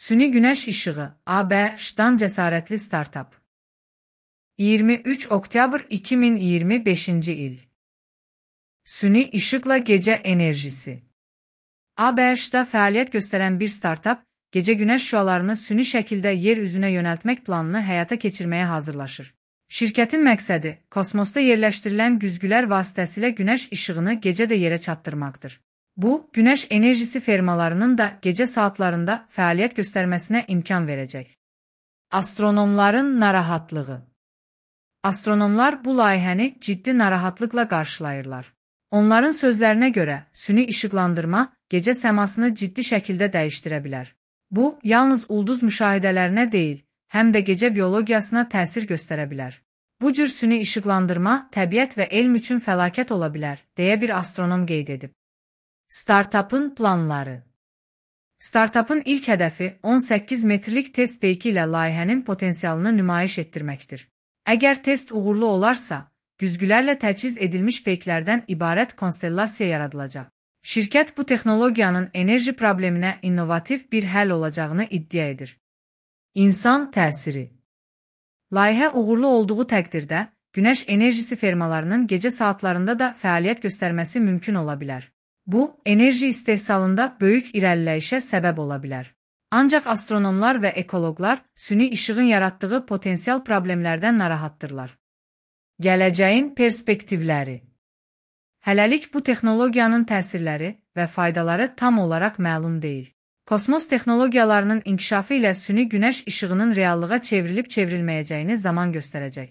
Süni günəş işığı, ABŞ-dan cəsarətli startap. 23 oktyabr 2025-ci il. Süni işıqla gecə enerjisi. ABŞ-da fəaliyyət göstərən bir startap, gecə günəş şüalarını süni şəkildə yer üzünə yönəltmək planını həyata keçirməyə hazırlaşır. Şirkətin məqsədi, kosmosda yerləşdirilən güzgülər vasitəsilə günəş işığını gecə də yerə çatdırmaqdır. Bu, günəş enerjisi fermalarının da gecə saatlarında fəaliyyət göstərməsinə imkan verəcək. Astronomların narahatlığı. Astronomlar bu layihəni ciddi narahatlıqla qarşılayırlar. Onların sözlərinə görə, süni işıqlandırma gecə səmasını ciddi şəkildə dəyişdirə bilər. Bu, yalnız ulduz müşahidələrinə deyil, həm də gecə biologiyasına təsir göstərə bilər. Bu cür süni işıqlandırma təbiət və elm üçün fəlakət ola bilər, deyə bir astronom qeyd edib. Startapın planları. Startapın ilk hədəfi 18 metrlik test peyki ilə layihənin potensialını nümayiş etdirməkdir. Əgər test uğurlu olarsa, güzgülərlə təchiz edilmiş peyklərdən ibarət konstellasiya yaradılacaq. Şirkət bu texnologiyanın enerji probleminə innovativ bir həll olacağını iddia edir. İnsan təsiri. Layihə uğurlu olduğu təqdirdə, günəş enerjisi fermalarının gecə saatlarında da fəaliyyət göstərməsi mümkün ola bilər. Bu, enerji istehsalında böyük irəliləyişə səbəb ola bilər. Ancaq astronomlar və ekoloqlar süni işığın yaratdığı potensial problemlərdən narahatdırlar. Gələcəyin perspektivləri. Hələlik bu texnologiyanın təsirləri və faydaları tam olaraq məlum deyil. Kosmos texnologiyalarının inkişafı ilə süni günəş işığının reallığa çevrilib-çevrilməyəcəyini zaman göstərəcək.